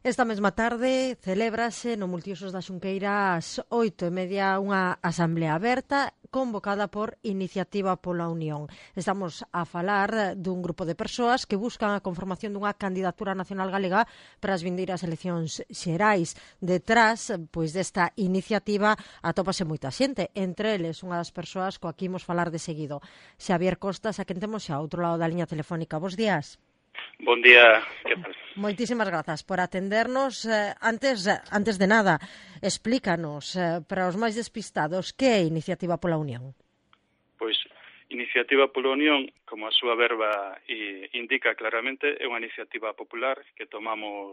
Esta mesma tarde celébrase no Multiusos da Xunqueira ás 8:30 unha asamblea aberta convocada por Iniciativa pola Unión. Estamos a falar dun grupo de persoas que buscan a conformación dunha candidatura nacional galega para as vindeiras eleccións xerais. Detrás, pois, desta iniciativa atópase moita xente, entre eles unha das persoas coa que imos falar de seguido. Xavier Costas, a quen temos xa ao outro lado da liña telefónica. Bos días. Bon día, que tal? Moitísimas grazas por atendernos. Antes de nada, explícanos, para os máis despistados, que é Iniciativa pola Unión? Pois, Iniciativa pola Unión, como a súa verba indica claramente, é unha iniciativa popular que tomamos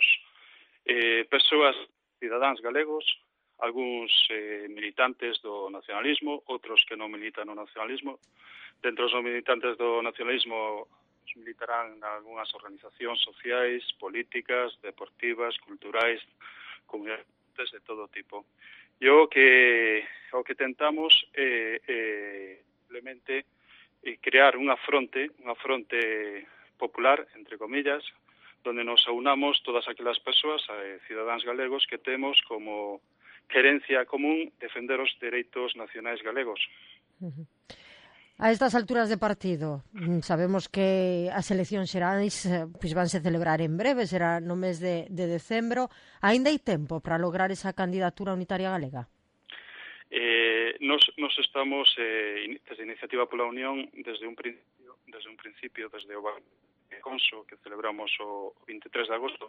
persoas, cidadáns galegos, algúns militantes do nacionalismo, outros que non militan no nacionalismo. Dentro dos militantes do nacionalismo militarán en algunhas organizacións sociais, políticas, deportivas, culturais, comunidades de todo tipo. E o que tentamos é simplemente crear unha fronte popular, entre comillas, donde nos aunamos todas aquelas persoas, cidadáns galegos, que temos como querencia común defender os dereitos nacionais galegos. A estas alturas de partido, sabemos que as eleccións xerais pois vanse celebrar en breve, será no mes de decembro. Aínda hai tempo para lograr esa candidatura unitaria galega? Nos estamos, desde Iniciativa pola Unión, desde un principio, desde o Conso, que celebramos o 23 de agosto,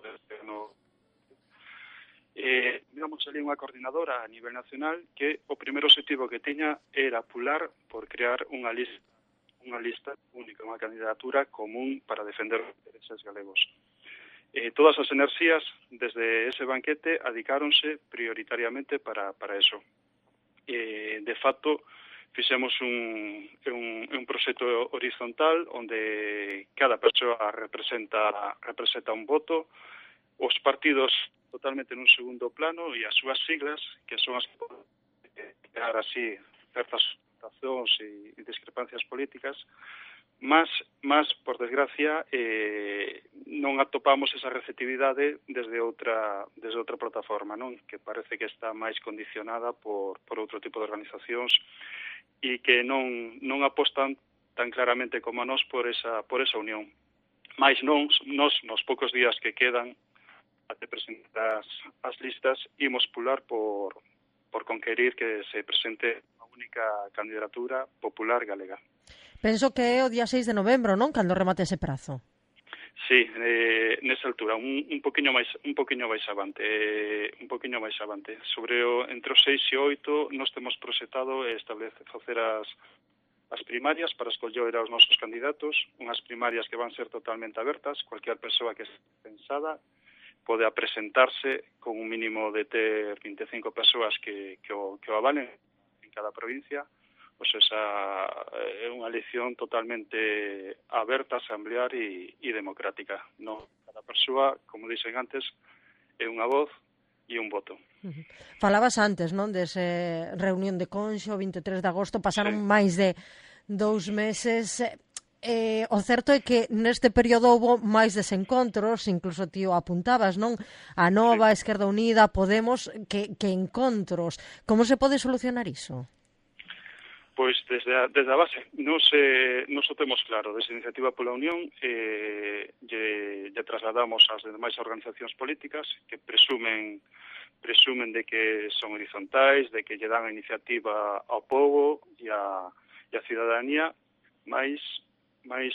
digamos ali unha coordinadora a nivel nacional que o primeiro objetivo que tiña era apular por crear unha lista única, unha candidatura común para defender os intereses galegos. Todas as enerxías desde ese banquete adicáronse prioritariamente para eso. De facto, fixemos un proxecto horizontal onde cada persoa representa un voto, os partidos totalmente nun segundo plano e as súas siglas, que son as que poden crear así certas situacións e discrepancias políticas, mas por desgracia, non atopamos esa receptividade desde outra plataforma, non? Que parece que está máis condicionada por outro tipo de organizacións e que non apostan tan claramente como a nós por esa unión. Mais nos poucos días que quedan até presentar as listas, imos pular por conquerir que se presente a única candidatura popular galega. Penso que é o día 6 de novembro, non? Cando remate ese prazo. Sí, nesa altura, un poquinho máis avante, sobre entre os 6 e 8 nós temos proxectado facer as primarias para escoller aos nosos candidatos, unhas primarias que van ser totalmente abertas, cualquier persoa que esté pensada pode presentarse con un mínimo de ter 25 persoas que o avalen en cada provincia. Pois esa é unha elección totalmente aberta, asamblear e democrática. No, cada persoa, como dixen antes, é unha voz e un voto. Falabas antes, non, dese reunión de Conxo, 23 de agosto, pasaron máis de 2 meses. O certo é que neste período houve máis desencontros, incluso ti o apuntabas, non? A Nova, a Esquerda Unida, Podemos, que encontros. Como se pode solucionar iso? Pois desde a base, nos o temos claro, desde Iniciativa pola Unión lle trasladamos ás demais organizacións políticas que presumen de que son horizontais, de que lle dan a iniciativa ao povo e a cidadanía, mais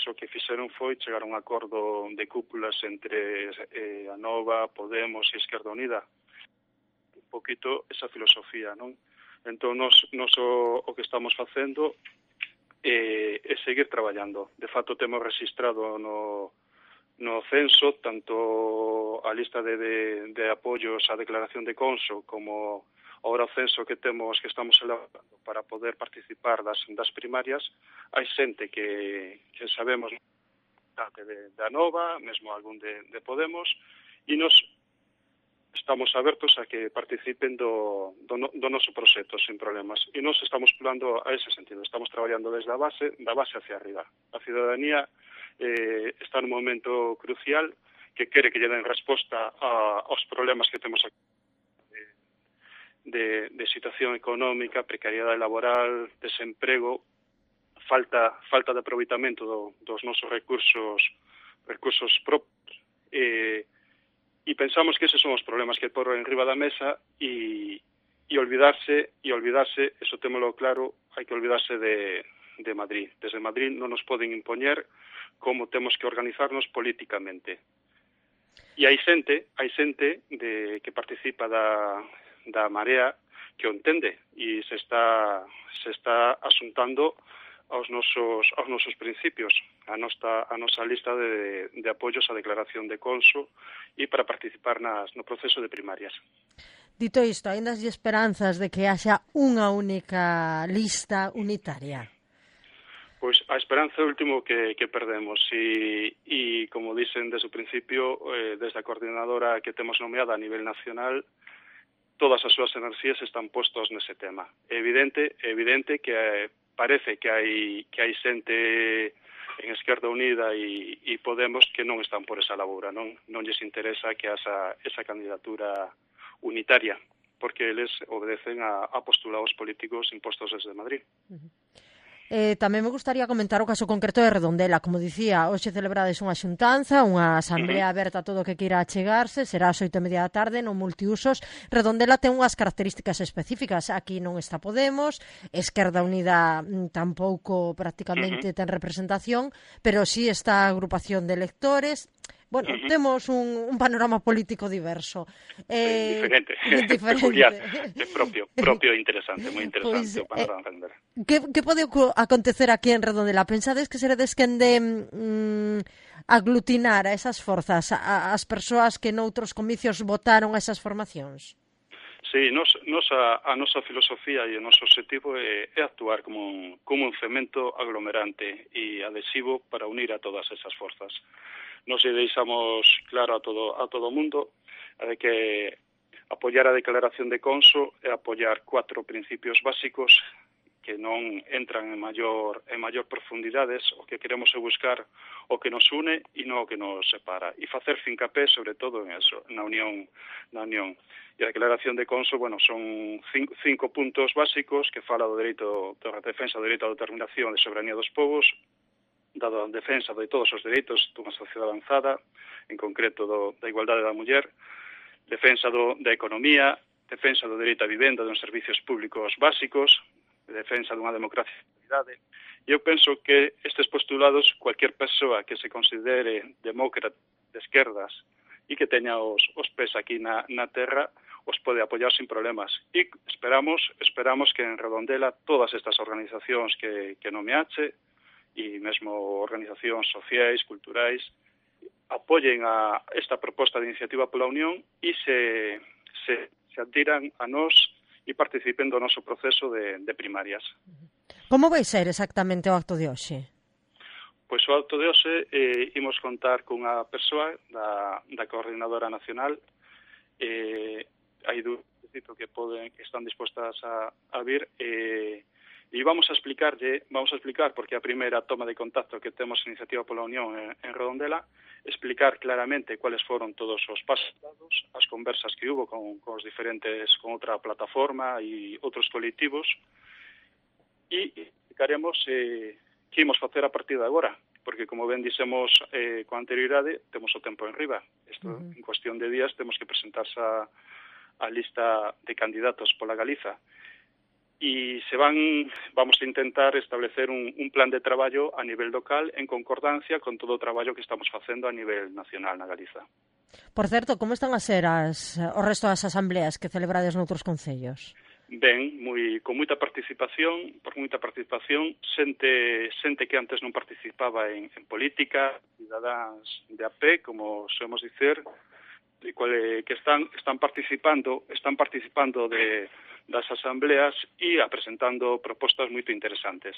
o que fixeron foi chegar a un acordo de cúpulas entre a Nova, Podemos e Esquerda Unida. Un poquito esa filosofía, non? Entón, nos o que estamos facendo é seguir traballando. De facto, temos registrado no censo tanto a lista de apoios á declaración de Conso como ahora o censo que estamos elaborando para poder participar das primarias. Hai xente que sabemos da Nova, mesmo algún de Podemos, e nos estamos abertos a que participen do noso proxecto sin problemas. E nos estamos pulando a ese sentido. Estamos traballando desde da base hacia arriba. A cidadanía está nun momento crucial que quere que lle den resposta aos problemas que temos aquí de situación económica, precariedade laboral, desemprego, falta de aproveitamento dos nosos recursos propios, e pensamos que eses son os problemas que por enriba da mesa e olvidarse, eso témolo claro, hai que olvidarse de Madrid. Desde Madrid non nos poden impoñer como temos que organizarnos políticamente. E hai xente que participa da Marea que o entende e se está asuntando aos nosos principios, a nosa lista de apoios á declaración de Conso e para participar no proceso de primarias. Dito isto, aínda hai esperanzas de que haxa unha única lista unitaria? Pois a esperanza é o último que perdemos e como dicen desde o principio, desde a coordinadora que temos nomeada a nivel nacional, todas as súas enerxías están postos nese tema. É evidente que parece que hai xente en Esquerda Unida e Podemos que non están por esa laboura, non lles interesa que esa candidatura unitaria, porque eles obedecen a postulados políticos impostos desde Madrid. Tamén me gustaría comentar o caso concreto de Redondela. Como dicía, hoxe celebrades unha xuntanza, unha asamblea aberta a todo o que queira achegarse, será ás 8:30 da tarde, no multiusos. Redondela ten unhas características específicas. Aquí non está Podemos, Esquerda Unida tampouco prácticamente ten representación, pero sí está a agrupación de electores. Bueno, temos un panorama político diverso. Diferente, peculiar, propio interesante, moi interesante o panorama entender. Que pode acontecer aquí en Redondela? Pensades que seredes quen de aglutinar a esas forzas, as persoas que noutros comicios votaron a esas formacións? Sí, a nosa filosofía e o noso objetivo é actuar como un cemento aglomerante e adhesivo para unir a todas esas forzas. Nos deixamos claro a todo o mundo de que apoiar a declaración de Conso é apoiar 4 principios básicos que non entran en maior profundidades. O que queremos é buscar o que nos une e non o que nos separa, e facer fincapé sobre todo en eso, na unión. E a declaración de Conso, son 5 puntos básicos que fala do dereito, da defensa do dereito á determinación e soberanía dos povos, da defensa de todos os dereitos dunha sociedade avanzada, en concreto da igualdade da muller, defensa da economía, defensa do dereito á vivenda, dos servicios públicos básicos, defensa dunha democracia de calidade. E eu penso que estes postulados, cualquier persoa que se considere demócrata de esquerdas e que teña os pés aquí na terra, os pode apoiar sin problemas. E esperamos que en Redondela todas estas organizacións que nomeache, e mesmo organizacións sociais, culturais, apoyen a esta proposta de iniciativa pola Unión e se adhiran a nós e participen do noso proceso de primarias. Como vai ser exactamente o acto de hoxe? Pois o acto de hoxe imos contar cunha persoa da coordinadora nacional. Hai dúas que están dispostas a vir e vamos a explicar porque a primeira toma de contacto que temos en Iniciativa pola Unión en Redondela, explicar claramente cuáles foron todos os pasos dados, as conversas que hubo con os diferentes, con outra plataforma e outros colectivos, e explicaremos que imos facer a partir de agora, porque como ben dixemos con anterioridade, temos o tempo en riba. Isto, en cuestión de días, temos que presentarse a lista de candidatos pola Galiza. E vamos a intentar establecer un plan de traballo a nivel local en concordancia con todo o traballo que estamos facendo a nivel nacional na Galiza. Por certo, como están a ser o resto das asambleas que celebrades noutros concellos? Ben, con moita participación, xente que antes non participaba en política, cidadáns de a pé, como solemos dicer, que están participando das asambleas e presentando propostas moito interesantes.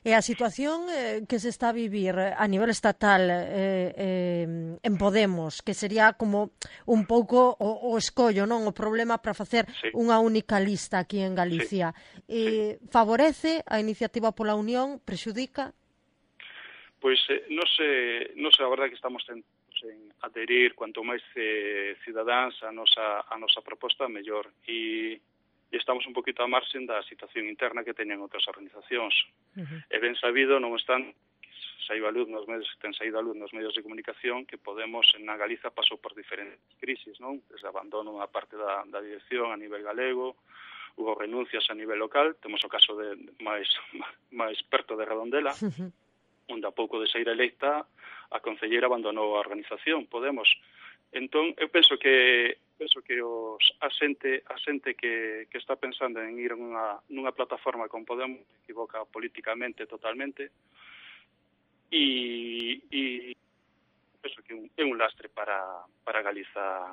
E a situación que se está a vivir a nivel estatal en Podemos, que sería como un pouco o escollo, non, o problema para facer unha única lista aquí en Galicia, favorece a iniciativa pola Unión, prexudica? Pois non sei, a verdade que estamos en adherir cuanto máis cidadáns a nosa proposta, mellor. E estamos un poquito a marxen da situación interna que teñen outras organizacións. É ben sabido, non están ten saído a luz nos medios de comunicación que Podemos na Galiza pasou por diferentes crisis, non? Desde abandono a parte da dirección a nivel galego, hubo renuncias a nivel local, temos o caso de máis perto de Redondela, onde a pouco de sair electa a concelleira abandonou a organización Podemos. Entón, eu penso que a xente que está pensando en ir nunha plataforma con Podemos se equivoca políticamente totalmente e penso que é un lastre para Galiza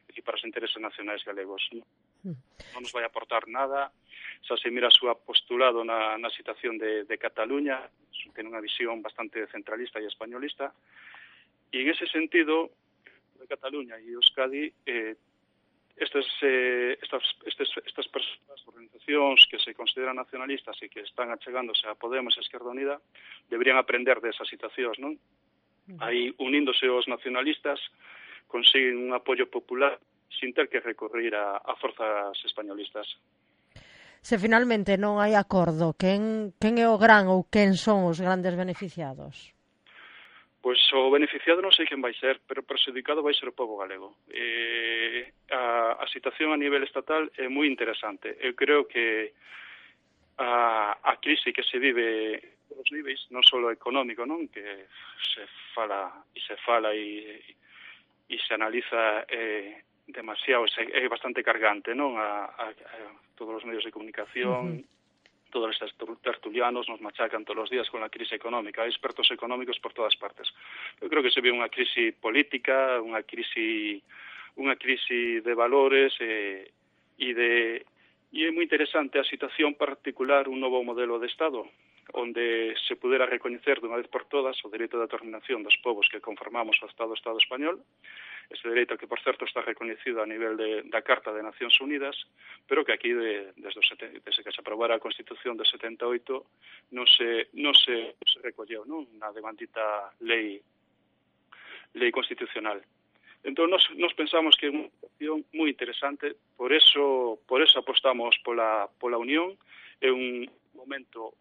e para os intereses nacionais galegos. Non nos vai aportar nada. Xa se mira o seu postulado na situación de Cataluña, ten unha visión bastante centralista e españolista, e en ese sentido de Cataluña e Euskadi estas persoas, organizacións que se consideran nacionalistas e que están achegándose a Podemos e Esquerda Unida deberían aprender desas situacións, non? Aí, uníndose os nacionalistas, consiguen un apoio popular sin ter que recurrir a forzas españolistas. Se finalmente non hai acordo, quen é o gran ou quen son os grandes beneficiados? Pois o beneficiado non sei quen vai ser, pero perxudicado vai ser o pobo galego. A situación a nivel estatal é moi interesante. Eu creo que a crise que se vive nos níveis, non só económico, non, que se fala e se analiza demasiado, é bastante cargante, non, a todos os medios de comunicación, todos estes tertulianos nos machacan todos os días con a crise económica, hai expertos económicos por todas partes. Eu creo que se ve unha crise política, unha crise de valores e é moi interesante a situación particular, un novo modelo de Estado, onde se pudera recoñecer dunha vez por todas o dereito de determinación dos povos que conformamos o Estado español, ese dereito que, por certo, está recoñecido a nivel da Carta de Nacións Unidas, pero que aquí, desde que se aprobara a Constitución de 78, non se recolleu, non? Na devandita lei constitucional. Entón, nos pensamos que é unha situación moi interesante, por eso apostamos pola unión. É un momento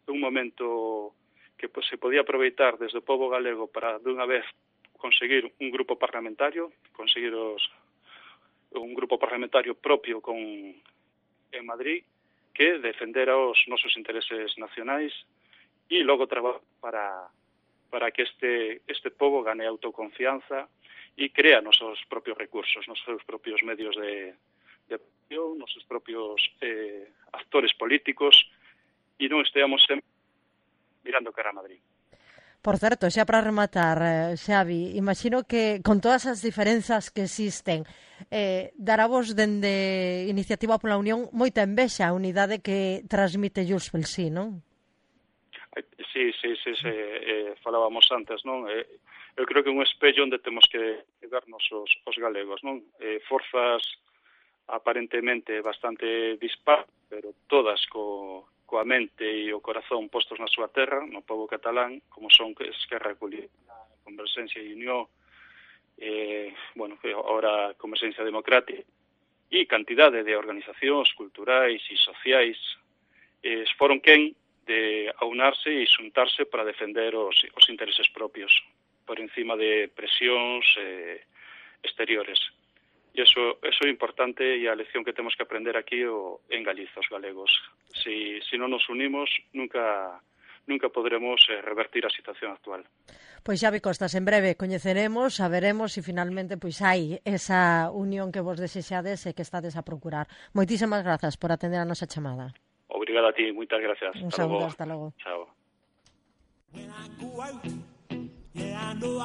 que se podía aproveitar desde o pobo galego para, dunha vez, conseguir un grupo parlamentario, un grupo parlamentario propio en Madrid que defendera os nosos intereses nacionais e logo traballar para que este pobo gane autoconfianza e crea nos seus propios recursos, nos seus propios medios de acción, nos seus propios actores políticos e non esteamos sempre mirando cara a Madrid. Por certo, xa para rematar, Xavi, imagino que con todas as diferenzas que existen, dará vos dende Iniciativa pola Unión moita envexa a unidade que transmite Junts pel Sí, non? Sí, falábamos antes, non? Eu creo que é un espello onde temos que vernos os galegos, non? Forzas aparentemente bastante dispares, pero todas coa mente e o corazón postos na súa terra, no pobo catalán, como son Esquerra Republicana, Converxencia e Unió, ahora Converxencia Democrática, e cantidade de organizacións culturais e sociais foron quen de aunarse e xuntarse para defender os intereses propios, por encima de presións exteriores. E iso é importante e a lección que temos que aprender aquí en Galiza, os galegos. Si non nos unimos, nunca poderemos revertir a situación actual. Pois Xavi Costas, en breve coñeceremos, saberemos se finalmente pois hai esa unión que vos desexades e que estades a procurar. Moitísimas grazas por atender a nosa chamada. Obrigada a ti, moitas gracias. Un saúdo, hasta logo. Chao.